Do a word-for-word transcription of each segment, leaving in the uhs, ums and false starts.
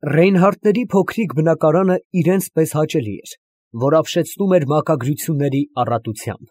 Ռեյնհարդների փոքրիկ բնակարանը իրենց պես հաճելի էր, որ ապշեցնում էր մակագրությունների առատությամբ.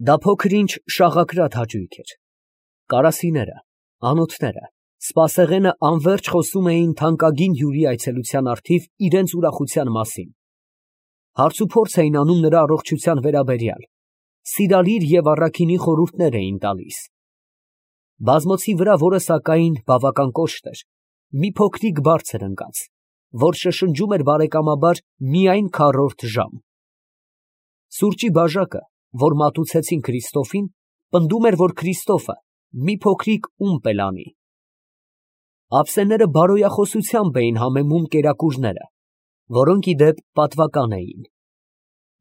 դա փոքր֊ինչ շաղակրատ հաճույք էր. կարասիները, անոթները, սպասեղենը անվերջ խոսում էին թանկագին հյուրի այցելության առթիվ իրենց ուրախության մասին, հարցուփորձ էին անում նրա առողջության վերաբերյալ, սիրալիր և առաքինի խորհուրդներ էին տալիս. բազմոցի վրա, որը սակայն բավական կոշտ էր, մի փոքրիկ բարձր ընկած, որ շշնջում էր բարեկամաբար միայն քառորդ ժամ. սուրճի բաժակը, որ մատուցեցին Քրիստոֆին, պնդում էր, որ Քրիստոֆը մի փոքրիկ ումպ էլ անի. ափսեները բարոյախոսությամբ էին համեմում կերակուրները, որոնք ի դեպ պատվական էին.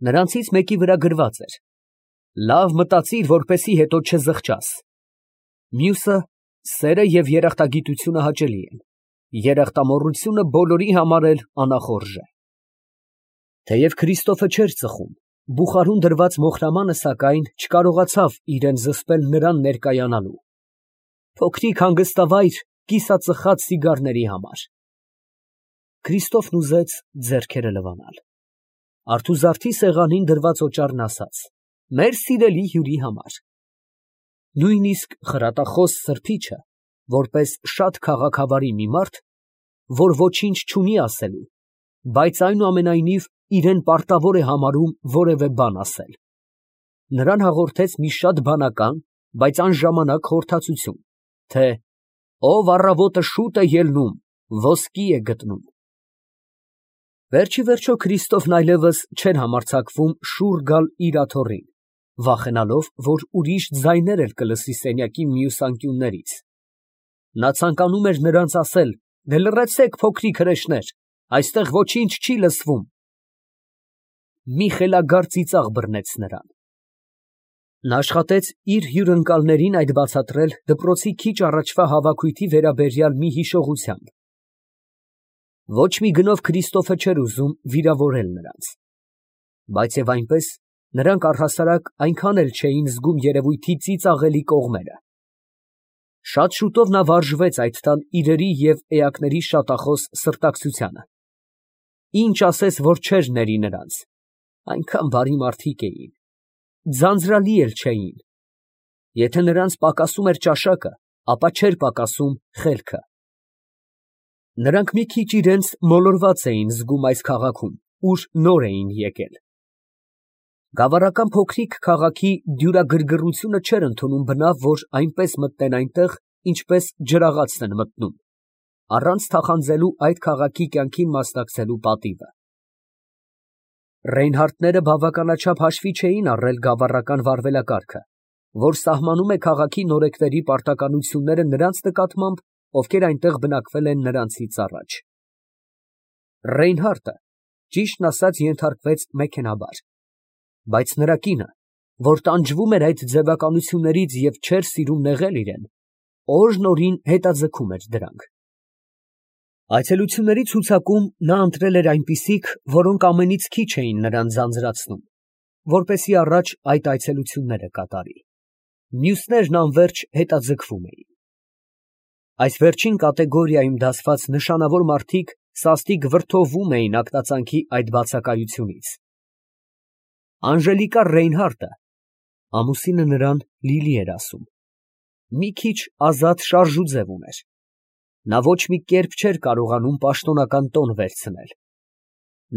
նրանցից մեկի վրա գրված էր. «Լավ մտածիր, որպեսզի հետո չզղջաս»։ Մյուսը. «Սերը և երախտագիտությունը հաճելի են, երախտամոռությունը բոլորի համար էլ անախորժ է»։ Թեև Քրիստոֆը չէր ծխում, բուխարում դրված մոխրամանը, սակայն, չկարողացավ իրան զսպել նրան ներկայանալու. փոքրիկ հանգստավայր կիսածխած սիգարների համար։ Քրիստոֆն ուզեց ձեռքերը լվանալ. արթուզարդի սեղանին դրված օճառն ասաց. «Մեր սիրելի հյուրի համար»։ Նույնիսկ խրատախոս սրբիչը, որպես շատ քաղաքավարի մի մարդ, որ ոչինչ չունի ասելու, բայց այնուամենայնիվ իրան պարտավոր է համարում որևէ բան ասել, նրան հաղորդեց մի շատ բանական, բայց անժամանակ խորհրդածություն, թե ով առավոտը շուտ է ելնում, ոսկի է գտնում։ Վերջիվերջո Քրիստոֆն այլևս չէր համարձակվում շուռ գալ իր աթոռին, վախենալով, որ ուրիշ ձայներ էլ կլսի սենյակի մյուս անկյուններից. նա ցանկանում էր նրանց ասել. «Դե լռեցեք, փոքրիկ հրեշներ, այստեղ ոչինչ չի լսվում»։ Մի խելագար ծիծաղ բռնեց նրան։ Նա աշխատեց իր հյուրընկալներին այդ բացատրել դպրոցի քիչ առաջվա հավաքույթի վերաբերյալ մի հիշողությամբ։ Ոչ մի գնով Քրիստոֆը չէր ուզում վիրավորել նրանց, բայց և այնպես, նրանք առհասարակ այնքան էլ չէին զգում երևույթի ծիծաղելի կողմերը։ Շատ շուտով նա վարժվեց այդ տան իրերի և էակների շատախոս սրտակցությանը։ Ինչ ասես, որ չէր ների նրանց, այնքան բարի մարդիկ էին, ձանձրալի էլ չէին։ Եթե նրանց պակասում էր ճաշակը, ապա չէր պակասում խելքը։ Նրանք մի քիչ իրենց մոլորված էին զգում այս քաղաքում, ուր նոր էին եկել։ Գավառական փոքրիկ քաղաքի դյուրագրգռությունը չէր ընդունում բնավ, որ այնպես մտնեն այնտեղ, ինչպես ջրաղացն են մտնում, առանց թախանձելու այդ քաղաքի կյանքին մասնակցելու պատիվը։ Ռեյնհարդները բավականաչափ հաշվի չէին առել գավառական վարվելակարգը, որ սահմանում է քաղաքի նորեկների պարտականությունները նրանց նկատմամբ, ովքեր այնտեղ բնակվել են նրանցից առաջ։ Ռեյնհարդը, ճիշտն ասած, ենթարկվեց մեքենաբար, բայց նրա կինը, որ տանջվում էր այդ ձևականություններից և չէր սիրում նեղել իրան, օրն օրին հետաձգում էր դրանք։ Այցելությունների ցուցակում նա ընտրել էր այնպիսիք, որոնք ամենից քիչ էին նրան ձանձրացնում, որպեսզի առաջ այդ այցելությունները կատարի, մյուսներն անվերջ հետաձգվում էին։ Այս վերջին կատեգորիայում դասված նշանավոր մարդիկ սաստիկ վրդովվում էին ակնածանքի այդ բացակայությունից։ Անժելիկա Ռեյնհարդը (ամուսինը նրան Լիլի էր ասում) մի քիչ ազատ շարժուձև ուներ։ Նա ոչ մի կերպ չէր կարողանում պաշտոնական տոն վերցնել։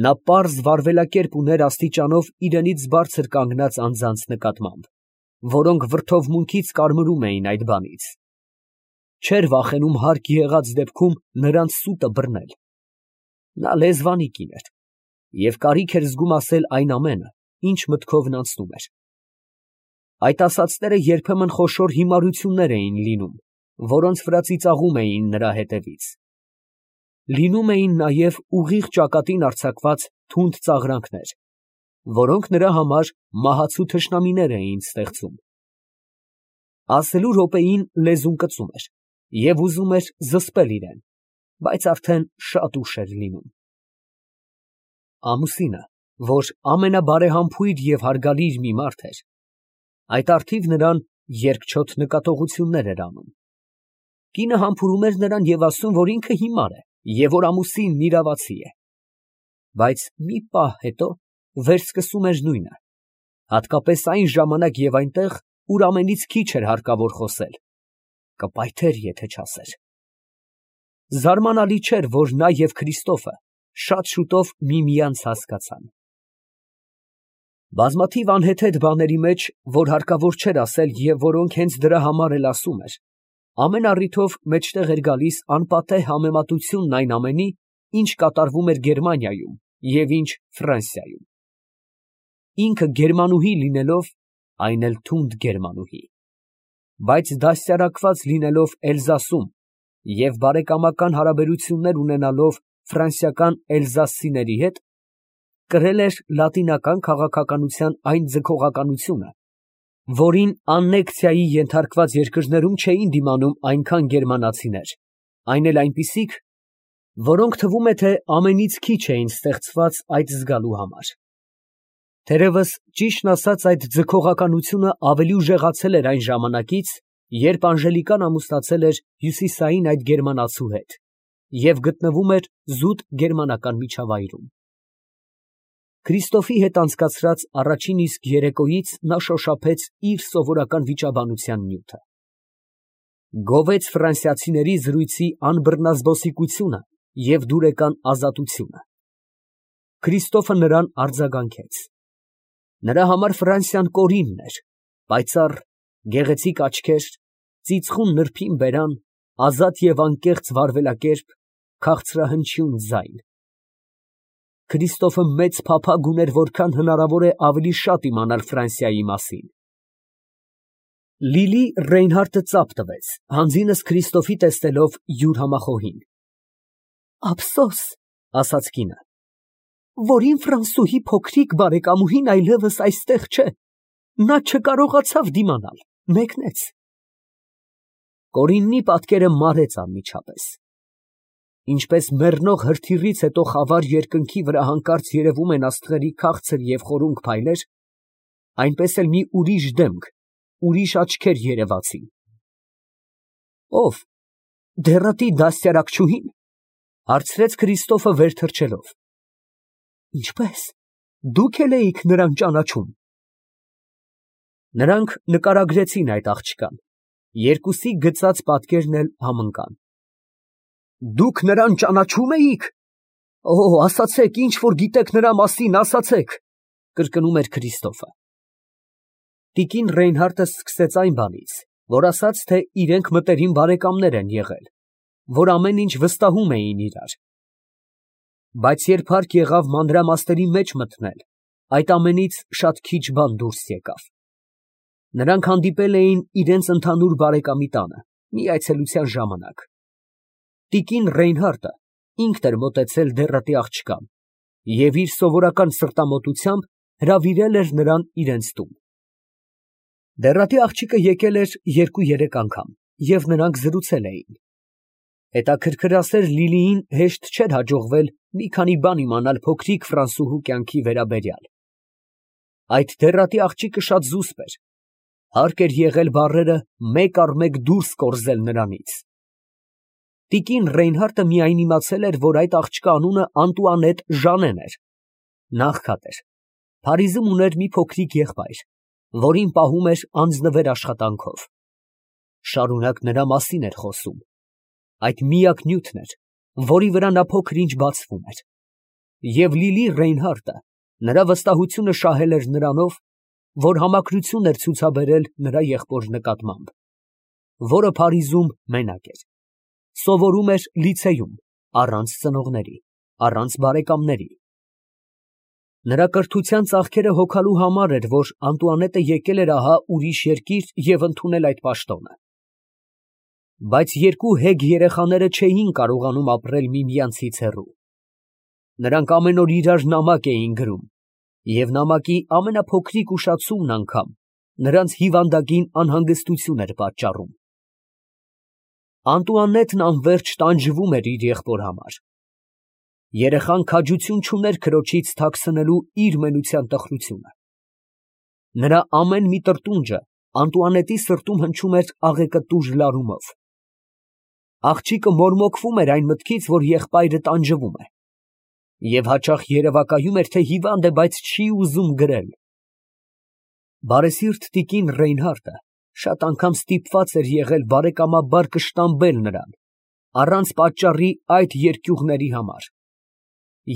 Նա պարզ վարվելակերպ ուներ աստիճանով իրենից բարձր կանգնած անձանց նկատմամբ, որոնք վրդովմունքից կարմրում էին այդ բանից։ Չէր վախենում հարկ եղած դեպքում նրանց սուտը բռնել։ Նա լեզվանի կին էր և կարիք էր զգում ասել այն ամենը, ինչ մտքովն անցնում էր։ Այդ ասածները երբեմն խոշոր հիմարություններ էին լինում, որոնց վրա ծիծաղում էին նրա հետևից։ Լինում էին նաև ուղիղ ճակատին արձակված թունդ ծաղրանքներ, որոնք նրա համար մահացու թշնամիներ էին ստեղծում։ Ասելու րոպեին լեզուն կծում էր և ուզում էր զսպել իրան, բայց արդեն շատ ուշ էր լինում։ Ամուսինը, որ ամենաբարեհամբույր և հարգալիր մի մարդ էր, այդ առթիվ նրան երկչոտ նկատողություններ էր անում։ Կինը համբուրում էր նրան և ասում, որ ինքը հիմար է և որ ամուսինն իրավացի է։ Բայց մի պահ հետո վերսկսում էր նույնը, հատկապես այն ժամանակ և այնտեղ, ուր ամենից քիչ էր հարկավոր խոսել, կպայթեր, եթե չասեր։ Զարմանալի չէր, որ նա և Քրիստոֆը շատ շուտով միմյանց հասկացան։ Բազմաթիվ անհեթեթ բաների մեջ, որ հարկավոր չէր ասել և որոնք հենց դրա համար էլ ասում էր, ամեն առիթով մեջտեղ էր գալիս անպատեհ համեմատությունն այն ամենի, ինչ կատարվում էր Գերմանիայում և ինչ Ֆրանսիայում։ Ինքը գերմանուհի լինելով, այն էլ թունդ գերմանուհի, բայց դաստիարակված լինելով Էլզասում և բարեկամական հարաբերություններ ունենալով ֆրանսիական էլզասցիների հետ, կրել էր լատինական քաղաքականության այն ձգողականությունը, որին աննեկցիայի ենթարկված երկրներում չէին դիմանում այնքան գերմանացիներ, այն էլ այնպիսիք, որոնք թվում է, թե ամենից քիչ էին ստեղծված այդ զգալու համար։ Թերևս, ճիշտն ասած, այդ ձգողականությունը ավելի ուժեղացել էր այն ժամանակից, երբ Անժելիկան ամուսնացել էր հյուսիսային այդ գերմանացու հետ և գտնվում էր զուտ գերմանական միջավայրում։ Քրիստոֆի հետ անցկացրած առաջին իսկ երեկոյից նա շոշափեց իր սովորական վիճաբանության նյութը, գովեց ֆրանսիացիների զրույցի անբռնազբոսիկությունը և դուրեկան ազատությունը։ Քրիստոֆը նրան արձագանքեց. նրա համար Ֆրանսիան կորինն էր, պայծառ, գեղեցիկ աչքեր, ծիծխուն նրբին բերան, ազատ և անկեղծ վարվելակերպ, քաղցրահնչյուն ձայն։ Քրիստոֆը մեծ փափագ ուներ որքան հնարավոր է ավելի շատ իմանալ Ֆրանսիայի մասին։ Լիլի Ռեյնհարդը ծափ տվեց, հանձինս Քրիստոֆի տեսնելով յուր համախոհին։ Ափսոս, ասաց կինը, որ իմ ֆրանսուհի փոքրիկ բարեկամուհին այլևս այստեղ չէ, նա չկարողացավ դիմանալ, մեկնեց։ Կորիննի պատկերը մարեց անմիջապես։ Ինչպես մեռնող հրթիռից հետո խավար երկնքի վրա հանկարծ երևում են աստղերի քաղցր և խորունկ փայլեր, այնպես էլ մի ուրիշ դեմք, ուրիշ աչքեր երևացին։ Ո՞վ, դեռատի դաստիարակչուհի՞ն, հարցրեց Քրիստոֆը վեր թռչելով։ Ինչպե՞ս, դուք էլ էիք նրան ճանաչում։ Նրանք նկարագրեցին այդ աղջկան, երկուսի գծած պատկերն էլ համընկան։ Դուք նրան ճանաչո՞ւմ էիք։ Օ, ասացեք, ինչ որ գիտեք նրա մասին, ասացեք, կրկնում էր Քրիստոֆը։ Տիկին Ռեյնհարդը սկսեց այն բանից, որ ասաց, թե իրենք մտերիմ բարեկամներ են եղել, որ ամեն ինչ վստահում էին իրար։ Բայց երբ հարկ եղավ մանրամասների մեջ մտնել, այդ ամենից շատ քիչ բան դուրս եկավ։ Նրանք հանդիպել էին իրենց ընդհանուր բարեկամի տանը, մի այցելության ժամանակ։ Տիկին Ռեյնհարդը ինքն էր մոտեցել դեռատի աղջկան և իր սովորական սրտամոտությամբ հրավիրել էր նրան իրենց տուն։ Դեռատի աղջիկը եկել էր երկու֊երեք անգամ և նրանք զրուցել էին։ Հետաքրքրասեր Լիլիին հեշտ չէր հաջողվել մի քանի բան իմանալ փոքրիկ ֆրանսուհու կյանքի վերաբերյալ։ Այդ դեռատի աղջիկը շատ զուսպ էր, հարկ էր եղել բառերը մեկ առ մեկ դուրս կորզել նրանից։ Տիկին Ռեյնհարդը միայն իմացել էր, որ այդ աղջկա անունը Անտուանետ Ժանեն էր, նա աղքատ էր, Փարիզում ուներ մի փոքրիկ եղբայր, որին պահում էր անձնվեր աշխատանքով։ Շարունակ նրա մասին էր խոսում, այդ միակ նյութն էր, որի վրա նա փոքր-ինչ բացվում էր, և Լիլի Ռեյնհարդը նրա վստահությունը շահել էր նրանով, որ համակրություն էր ցուցաբերել նրա եղբոր նկատմամբ, որը Փարիզում մենակ էր, սովորում էր լիցեյում, առանց ծնողների, առանց բարեկամների։ Նրա կրթության ծաղկերը հոգալու համար էր, որ Անտուանետը եկել էր ահա ուրիշ երկիր և ընդունել այդ պաշտոնը։ Բայց երկու հեգ երեխաները չէին կարողանում ապրել միմյանցից հեռու։ Նրանք ամեն օր իրար նամակ էին գրում, և նամակի ամենափոքրիկ ուշացումն անգամ նրանց հիվանդագին անհանգստություն էր պատճառում։ Անտուանետն անվերջ տանջվում էր իր եղբոր համար։ Երեխան քաջություն չուներ քրոջից թաքցնելու իր մենության տխրությունը։ Նրա ամեն մի տրտունջը Անտուանետի սրտում հնչում էր աղեկատուր լարումով։ Աղջիկը մորմոքվում էր այն մտքից, որ եղբայրը տանջվում է, և հաճախ երևակայում էր, թե հիվանդ է, բայց չի ուզում գրել։ Բարեսիրտ տիկին Ռեյնհարդը շատ անգամ ստիպված էր եղել բարեկամաբար կշտամբել նրան, առանց պատճառի այդ երկյուղների համար,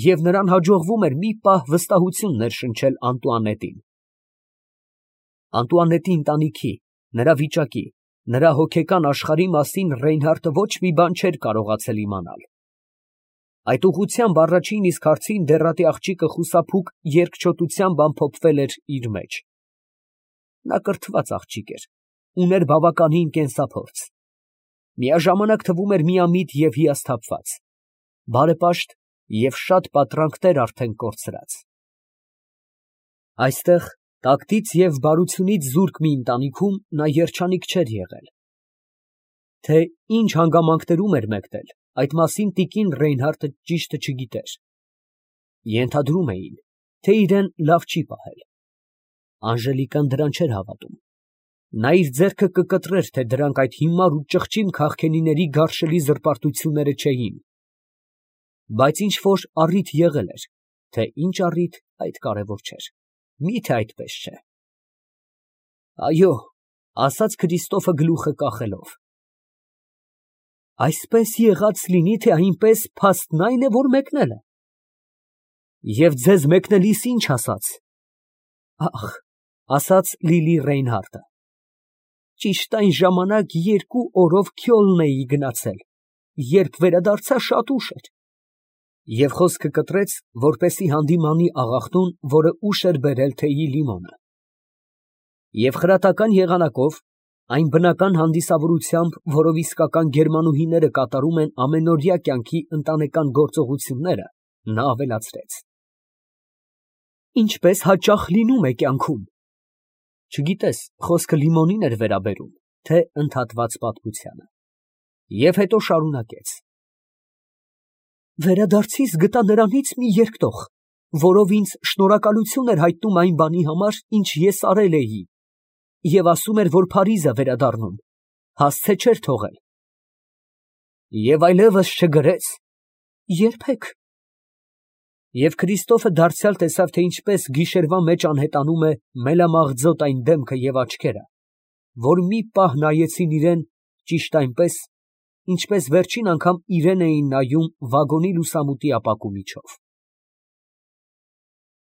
և նրան հաջողվում էր մի պահ վստահություն ներշնչել Անտուանետին։ Անտուանետի ընտանիքի, նրա վիճակի, նրա հոգեկան աշխարհի մասին Ռեյնհարդը ոչ մի բան չէր կարողացել իմանալ։ Այդ ուղղությամբ առաջին իսկ հարցին դեռատի աղջիկը խուսափուկ երկչոտությամբ ամփոփվել էր իր մեջ։ Նա կրթված աղջիկ էր, ուներ բավականին կենսափորձ, միաժամանակ թվում էր միամիտ և հիասթափված, բարեպաշտ և շատ պատրանքներ արդեն կորցրած։ Այստեղ, տակտից և բարությունից զուրկ մի ընտանիքում նա երջանիկ չէր եղել։ Թե ինչ հանգամանքներում էր մեկնել, այդ մասին տիկին Ռեյնհարդը ճիշտը չգիտեր։ Ենթադրում էին, թե իրան լավ չի պահել։ Անժելիկան դրան չէր հավատում։ Նա իր ձեռքը կկտրեր, թե դրանք այդ հիմար ու ճղճիմ քաղքենիների գարշելի զրպարտությունները չէին։ Բայց ինչ֊որ առիթ եղել էր, թե ինչ առիթ, այդ կարևոր չէր, մի՞թե այդպես չէ։ Այո, ֊ ասաց Քրիստոֆը գլուխը կախելով։ Այսպես եղած լինի, թե այնպես, փաստն այն է, որ մեկնել է։ Եվ ձեզ մեկնելիս ի՞նչ ասաց։ Ախ, ֊ ասաց Լիլի Ռեյնհարդը, ճիշտ այն ժամանակ երկու օրով Քյոլն էի գնացել, երբ վերադարձա, շատ ուշ էր։ Եվ խոսքը կտրեց, որպեսզի հանդիմանի աղախնուն, որը ուշ էր բերել թեյի լիմոնը։ Եվ խրատական եղանակով, այն բնական հանդիսավորությամբ, որով իսկական գերմանուհիները կատարում են ամենօրյա կյանքի ընտանեկան գործողությունները, նա ավելացրեց. Ինչպես հաճախ լինում է կյանքում։ Չգիտես, խոսքը լիմոնին էր վերաբերում, թե ընդհատված պատմությանը։ Եվ հետո շարունակեց. Վերադարձիս գտա նրանից մի երկտող, որով ինձ շնորհակալություն էր հայտնում այն բանի համար, ինչ ես արել էի, և ասում էր, որ Փարիզ է վերադառնում, հասցե չէր թողել։ Եվ այլևս չգրե՞ց։ Երբեք։ Եվ Քրիստոֆը դարձյալ տեսավ, թե ինչպես գիշերվա մեջ անհետանում է մելամաղձոտ այն դեմքը և աչքերը, որ մի պահ նայեցին իրան ճիշտ այնպես, ինչպես վերջին անգամ իրան էին նայում վագոնի լուսամուտի ապակու միջով։